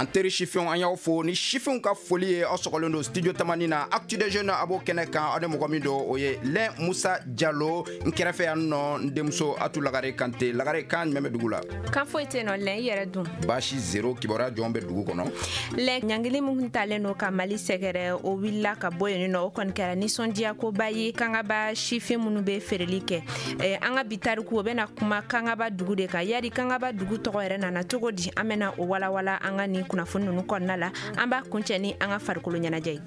An teri sifinw, an y'aw fo ni sifinw ka foli ye. Aw sɔgɔlen don Studio Tamani na, Actu des Jeunes, a b'o kɛnɛ kan. Aw ni mɔgɔ min don, o ye Lɛn Musa Jalo. N kɛrɛfɛ yan nɔ, n denmuso Atu Lagare Kante. Lagare, kan jumɛn bɛ dugu la? Kan foyi tɛ nɔ, Lɛn. I yɛrɛ dun? Baasi zéro. Kibaruya jɔn bɛ dugu kɔnɔ? Lɛn, ɲangili min talen don ka Mali sɛgɛrɛ, o wulila ka bɔ yen nɔ. O kɔni kɛra nisɔndiyakoba ye Kangaba sifin minnu bɛ feereli kɛ. An ka bi tariku, o bɛna kuma Kangaba dugu de kan. Yari Kangaba dugu tɔgɔ yɛrɛ nana cogo di? An bɛna o walawala an ka nin kunnafoni ninnu kɔnɔna la. An b'a kuncɛ ni an ka farikolo ɲɛnajɛ ye.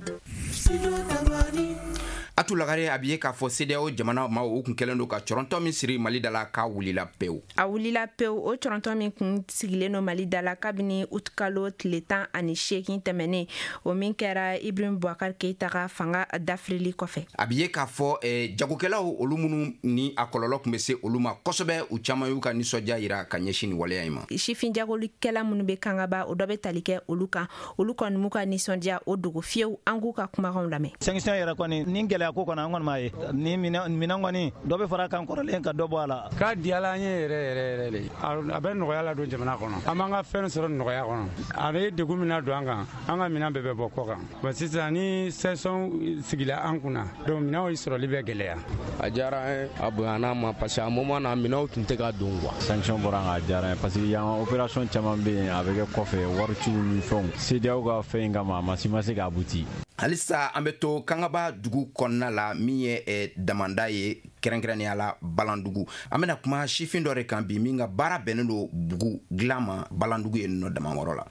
Atu Lagare, a bɛ ye k'a fɔ CEDEAO jamana maaw, u kun kɛlen don ka cɔrɔntɔ min siri Mali da la, k'a wulila pewu. A wulila pewu. O cɔrɔntɔ min kun sigilen don Mali da la kabini utikalo tile 18 tɛmɛnen, o min kɛra Ibrahim Boubacar Keita ka fanga dafirili kɔfɛ. A bɛ ye k'a fɔ jagokɛlaw, olu minnu ni a kɔlɔlɔ tun bɛ se olu ma kosɛbɛ, u caman y'u ka nisɔndiya yira ka ɲɛsin nin waleya in ma. Sifin jagolikɛla minnu bɛ Kangaba, o dɔ bɛ tali kɛ olu kan. Olu kɔni m'u ka nisɔndiya o dogo fiyewu. An k'u ka kumakanw lamɛn. Sanction yɛrɛ kɔni ni gɛlɛya ko kɔni, an kɔni m'a ye ni minɛn kɔni, dɔ bɛ fara kan kɔrɔlen ka dɔ bɔ a la. K'a diyala an ye yɛrɛ yɛrɛ yɛrɛ de. A bɛ nɔgɔya la don jamana kɔnɔ. An b'an ka fɛn sɔrɔ nɔgɔya kɔnɔ. A bɛ degun min na don an kan, an ka minɛn bɛɛ bɛ bɔ kɔ kan. Bon, sisan ni sanction sigila an kunna, donc minɛnw sɔrɔli bɛ gɛlɛya. A diyara an ye, a bonyana an ma, parce que a moment na minɛnw tun tɛ ka don quoi. Sanction bɔra an kan, a diyara an ye, parce que yan opération caman bɛ yen, a bɛ kɛ kɔfɛ, wariciw ni fɛnw. CEDEAO ka fɛn in kama, a ma si ma se ka abouti. Halisa an bɛ to Kangaba dugu kɔnɔna la, min ye damanda ye, kɛrɛnkɛrɛnnenya la Balandugu. An bɛna kuma sifin dɔ de kan bi, min ka baara bɛnnen don bugu dilan ma Balandugu ye nɔ damakɔrɔ la.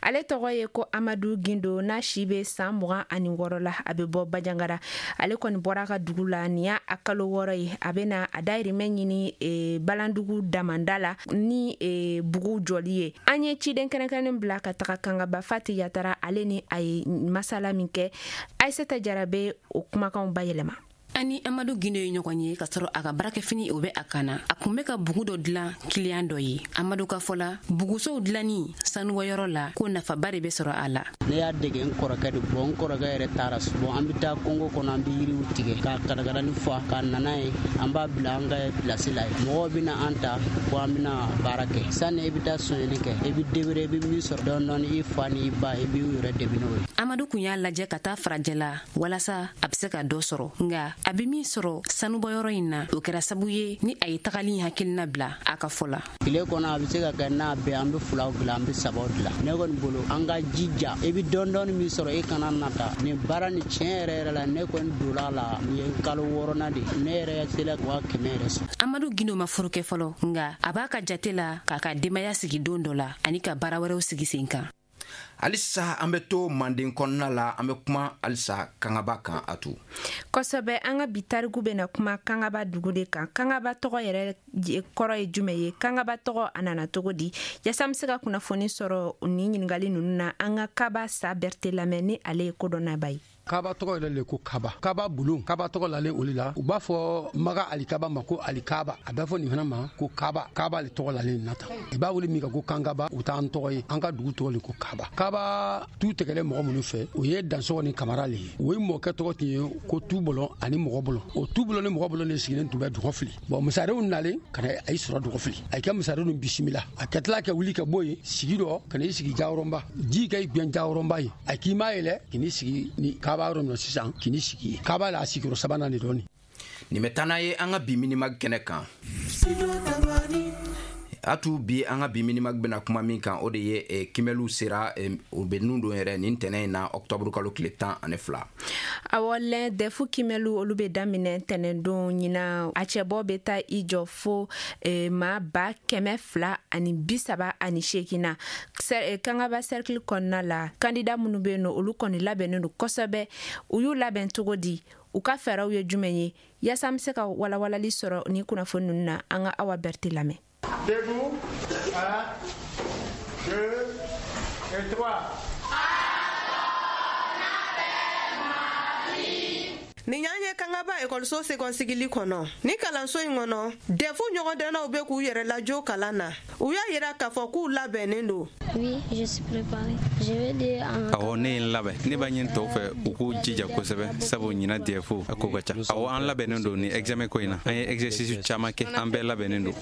Ale tɔgɔ ye ko Amadu Gindo, n'a si bɛ san 26 la. A bɛ bɔ Bajangara. Ale kɔni bɔra a ka dugu la nin y'a a kalo 6 ye. A bɛna a dayirimɛ ɲini Balandugu damanda la ni bugu jɔli ye. An ye ciden kɛrɛnkɛrɛnnen bila ka taga Kangaba, Fati Yatara. Ale ni a ye masala min kɛ, Ayisata Jara bɛ o kumakanw bayɛlɛma. Ani Amadu Gindo ye ɲɔgɔn ye ka sɔrɔ a ka baarakɛfini, o bɛ a kan na. A kun bɛ ka bugu dɔ dilan kiliyan dɔ ye. Amadu ka fɔ la, bugusow dilanni sanubɔyɔrɔ la, ko nafaba de bɛ sɔrɔ a la. Ne y'a dege n kɔrɔkɛ de. Bon, n kɔrɔkɛ yɛrɛ taara. Bon, an bɛ taa kungo kɔnɔ, an bɛ yiriw tigɛ ka karakarani fa ka nana ye, an b'a bila an ka pilasi la ye. Mɔgɔw bɛna an ta ko an bɛna baara kɛ. Sani i bɛ taa sonyɛli kɛ, i bɛ débrouiller, i bɛ min sɔrɔ dɔɔni dɔɔni, i fa ni i ba, i b'i yɛrɛ dɛmɛ n'o ye. Amadu kun y'a lajɛ ka taa farajɛla walasa a bɛ se ka dɔ sɔrɔ, nka a bɛ min sɔrɔ sanubɔyɔrɔ in na, o kɛra sababu ye ni a ye tagali hakilina bila, a ka fɔ la. Tile kɔnɔ, a bɛ se ka kɛ n'a bɛɛ, an bɛ filaw dilan, an bɛ sabaw dilan. Ne kɔni bolo, an ka jija, i bɛ dɔɔni dɔɔni min sɔrɔ, i kana nata nin baara ni. Tiɲɛ yɛrɛ yɛrɛ la, ne kɔni donna la, nin ye kalo wɔɔrɔnan de, ne yɛrɛ sera 100 000 yɛrɛ sɔrɔ. Amadu Gindo ma furu kɛ fɔlɔ, nka a b'a ka jate la k'a ka denbaya sigi don dɔ la ani ka baara wɛrɛw sigi sen kan. Halisa an bɛ to Manden kɔnɔna la. An bɛ kuma halisa Kangaba kan, a to. Kosɛbɛ. An ka bi tariku bɛna kuma Kangaba dugu de kan. Kangaba tɔgɔ yɛrɛ kɔrɔ ye jumɛn ye? Kangaba tɔgɔ, a nana cogo di? Yaasa an bɛ se ka kunnafoni sɔrɔ nin ɲininkali ninnu na, an ka Kaba Sa Berete lamɛn, ni ale ye kodɔnnaba ye. Kaba tɔgɔ yɛrɛ le ko Kaba, Kaba bulon. Kaba tɔgɔ lalen olu la. U b'a fɔ Maga Alikaba ma ko Alikaba, a b'a fɔ nin fana ma ko Kaba. Kaba le tɔgɔ lalen na tan. I b'a wele min kan ko Kankaba, o t'an tɔgɔ ye. An ka dugu tɔgɔ le ko Kaba. Kaba tu tɛgɛlen mɔgɔ minnu fɛ, o ye Dansɔgɔ ni Kamara le ye. O ye mɔkɛ tɔgɔ tun ye ko Tubɔlɔn ani Mɔgɔ bɔlɔn. O Tubɔlɔn ni Mɔgɔ bɔlɔn de sigilen tun bɛ Dɔgɔfili. Bon, masarenw nalen ka na a y'i sɔrɔ Dɔgɔfili, a kɛ masarenw ninnu bisimila. A ka tila ka wuli ka bɔ yen sigi dɔ ka n'i sigi Jawɔrɔnba. Ji ka i gbɛn Jawɔrɔnba ye, a k'i ma yɛlɛ k'i sigi ni Kaba yɔrɔ min na sisan, k'i sigi yen. Kaba la, a sigiyɔrɔ sabanan de dɔɔni. Nin bɛ taa n'a ye an ka bi Minimag kɛnɛ kan. A tu bi, an ka bi Minimag bɛna kuma min kan, o de ye kimɛliw sera, o bɛ nun don yɛrɛ nin tɛnɛ in na, ɔktɔburu kalo tile 12. Awɔ lɛn, DEF kimɛliw, olu bɛ daminɛ tɛnɛndon ɲina. A cɛbɔ bɛ taa i jɔ fo maa 238 na Kangaba cercle kɔnɔna la. Kandida minnu bɛ yen nɔ, olu kɔni labɛnnen don kosɛbɛ. U y'u labɛn cogo di? U ka fɛɛrɛw ye jumɛn ye? Yaasa an bɛ se ka walawalali sɔrɔ nin kunnafoni ninnu na, an ka Awa Berete lamɛn. Debout, 1, 2 et 3. Nin y'an ye Kangaba ekɔliso sekɔnsigili kɔnɔ. Ni kalanso in kɔnɔ, DEF ɲɔgɔndɛnnaw bɛ k'u yɛrɛ lajɔ kalan na. U y'a yira k'a fɔ k'u labɛnnen don. Oui, je suis préparé. Je vais dire en Awɔ, ne ye n labɛn. Ne b'a ɲini tɔw fɛ u k'u jija kosɛbɛ, sabu ɲina DEF a ko ka ca. Awɔ, an labɛnnen don ni examen ko in na. An ye exercice caman kɛ, an bɛɛ labɛnnen don.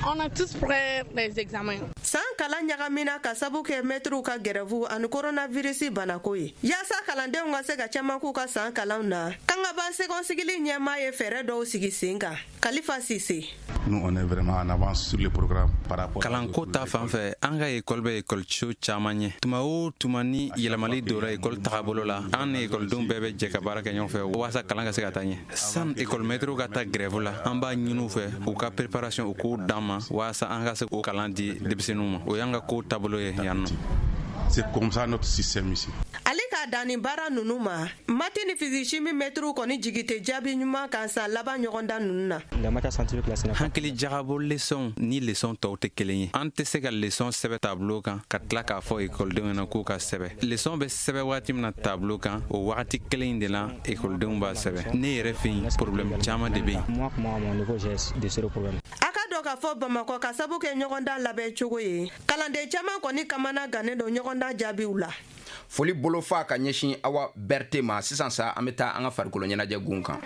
On a tous prêt les examens. San kalan ɲagamina ka sabu kɛ mɛtiriw ka gɛrɛfu ani koronavirisi banako ye. Yaasa kalandenw ka se ka caman k'u ka san kalanw na, Kangaba sekɔnsigili ɲɛmaa ye fɛɛrɛ dɔw sigi sen kan. Kalifa Sise. Nous, on est vraiment en avance sur le programme par rapport. Kalanko ta fan fɛ, an ka ekɔli bɛ ekɔliso caman ɲɛ. Tuma o tuma ni yɛlɛmali donna ekɔli tagabolo la, an ni ekɔlidenw bɛɛ bɛ jɛ ka baara kɛ ɲɔgɔn fɛ waasa kalan ka se ka taa ɲɛ. San ekɔlimɛtiriw ka taa grève la, an b'a ɲini u fɛ u ka préparation u k'o d'an ma waasa an ka se k'o kalan di denmisɛnninw ma. O y'an ka ko taabolo ye yan nɔ. C'est comme ça notre système ici. Ale k'a dan nin baara ninnu ma, maths ni physique chimie mɛtiriw kɔni jigi tɛ jaabi ɲuman kan san laban ɲɔgɔndan ninnu na. Hakili jagabɔ leçon ni leçon tɔw tɛ kelen ye. An tɛ se ka leçon sɛbɛ tableau kan ka tila k'a fɔ ekɔlidenw ɲɛna k'u ka sɛbɛ. Leçon bɛ sɛbɛ waati min na tableau kan, o wagati kelen in de la ekɔlidenw b'a sɛbɛ. Ne yɛrɛ fɛ yen, problème caman de bɛ yen. A ka dɔn k'a fɔ Bamakɔ, ka sabu kɛ ɲɔgɔndan labɛn cogo ye, kalanden caman kɔni kamana gannen don ɲɔgɔndan jaabiw la. Foli bolofa ka ɲɛsin Awa Berte ma. Sisan sa, an bɛ taa an ka farikolo ɲɛnajɛ gun kan.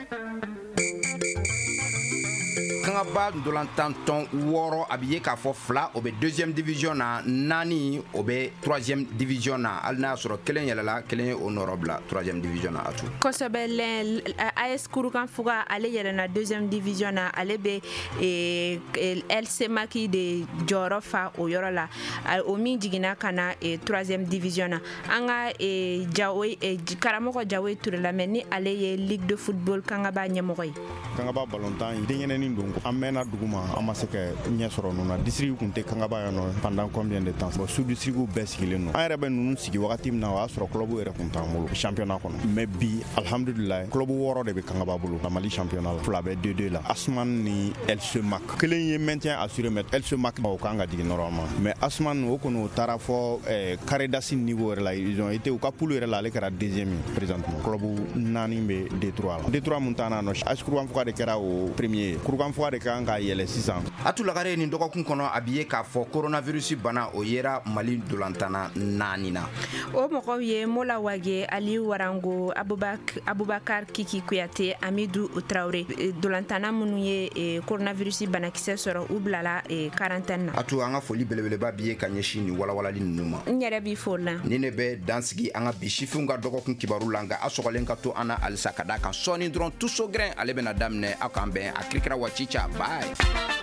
Kangaba ndolantan tɔn wɔɔrɔ, a bɛ ye k'a fɔ fila o bɛ deuxième division na, naani o bɛ troisième division na, hali n'a y'a sɔrɔ kelen yɛlɛla, kelen ye o nɔrɔ bila troisième division na. A tu Kosɛbɛ lɛn. AS Kurukanfuga, ale yɛlɛnna deuxième division na. Ale bɛ LC Maki de jɔyɔrɔ fa o yɔrɔ la, o min jiginna ka na troisième division na. An ka Jawo, karamɔgɔ Jawo Ture lamɛn, ni ale ye ligue de football Kangaba ɲɛmɔgɔ ye. Kangaba balontan denyɛrɛnin don. An mɛnna dugu ma, an ma se ka ɲɛ sɔrɔ ninnu na. District kun tɛ Kangaba yan nɔ pendant combien de temps? Bon, sous district bɛɛ sigilen don. An yɛrɛ bɛ ninnu sigi wagati min na, o y'a sɔrɔ club yɛrɛ kun t'an bolo championnat kɔnɔ. Mais bi, alhamdulilayi, club wɔɔrɔ de bɛ Kangaba bolo la Mali championnat la. Fila bɛ 2-2 la, Asman ni LC Mac. Kelen ye maintien assuré, mais LC Mac, o kan ka jigin normalement. Mais Asman, o kɔni, o taara fɔ carré d'as niveau yɛrɛ la. Ils ont été u ka poule yɛrɛ la, ale kɛra deuxième ye. Présentement, club naani bɛ D3 la. D3 mun t'an na nɔ, AS Kurukanfuga de kɛra o premier ye. Kurukanfuga de kan ka yɛlɛ sisan. Atu Lagare, nin dɔgɔkun kɔnɔ, a bi ye k'a fɔ coronavirus bana o yera Mali dolantanna naani na. O mɔgɔw ye Mola Wage, Aliyu Warango, Abubakar Kiki Kuyate, Amidu Traore. Dolantanna minnu ye coronavirus banakisɛ sɔrɔ, u bilala quarantaine na. Atu, an ka foli belebeleba bi ye ka ɲɛsin nin walawalali ninnu ma. N yɛrɛ b'i fo la. Ni ne bɛ dansigi an ka bi sifinw ka dɔgɔkun kibaru la, nka a sɔgɔlen ka to an na halisa, ka d'a kan sɔɔni dɔrɔn, tuso gɛrɛn ale bɛna daminɛ. Aw k'an bɛn a kirikira wa cica. Bye.